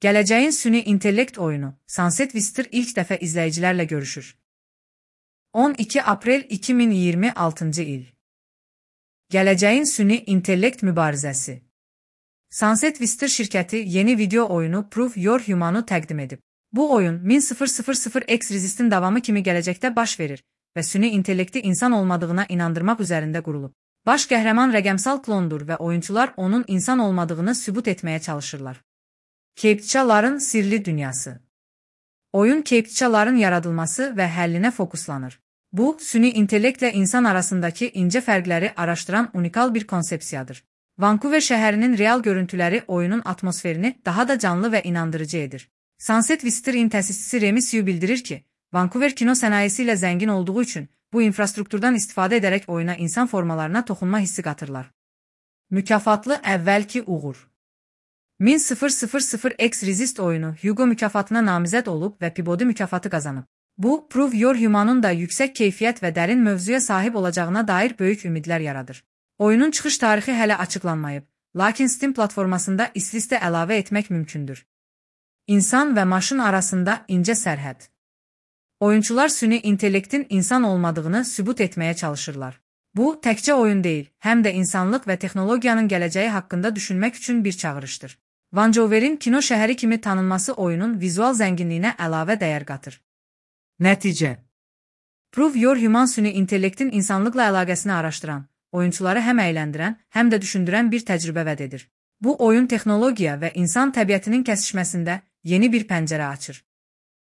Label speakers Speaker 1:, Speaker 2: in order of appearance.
Speaker 1: Gələcəyin süni intellekt oyunu Sunset Wister ilk dəfə izləyicilərlə görüşür. 12 aprel 2026 il. Gələcəyin süni intellekt mübarizəsi. Sunset Wister şirkəti yeni video oyunu Prove Your Human'ı təqdim edib. Bu oyun 10.000X Resist'in davamı kimi gələcəkdə baş verir və süni intellekti insan olmadığına inandırmaq üzərində qurulub. Baş qəhrəman rəqəmsal klondur və oyunçular onun insan olmadığını sübut etməyə çalışırlar. Captchaların sirli dünyası. Oyun captchaların yaradılması və həllinə fokuslanır. Bu, süni intellektlə insan arasındakı incə fərqləri araşdıran unikal bir konsepsiyadır. Vancouver şəhərinin real görüntüləri oyunun atmosferini daha da canlı və inandırıcı edir. Sunset Wister'in təsisçisi Remy Sue bildirir ki, Vancouver kino sənayesi ilə zəngin olduğu üçün bu infrastrukturdan istifadə edərək oyuna insan formalarına toxunma hissi qatırlar. Mükafatlı əvvəlki uğur. 10.000X Resist oyunu Hugo mükafatına namizəd olub və Peabody mükafatı qazanıb. Bu, Prove Your Human'ın da yüksək keyfiyyət və dərin mövzuya sahib olacağına dair böyük ümidlər yaradır. Oyunun çıxış tarixi hələ açıqlanmayıb, lakin Steam platformasında listə əlavə etmək mümkündür. İnsan və maşın arasında incə sərhəd. Oyunçular süni intellektin insan olmadığını sübut etməyə çalışırlar. Bu, təkcə oyun deyil, həm də insanlıq və texnologiyanın gələcəyi haqqında düşünmək üçün bir çağırışdır. Vancouver'in kino şəhəri kimi tanınması oyunun vizual zənginliyinə əlavə dəyər qatır. Nəticə. Prove Your Human süni intellektin insanlıqla əlaqəsini araşdıran, oyunçuları həm əyləndirən, həm də düşündürən bir təcrübə vəd edir. Bu oyun texnologiya və insan təbiətinin kəsişməsində yeni bir pəncərə açır.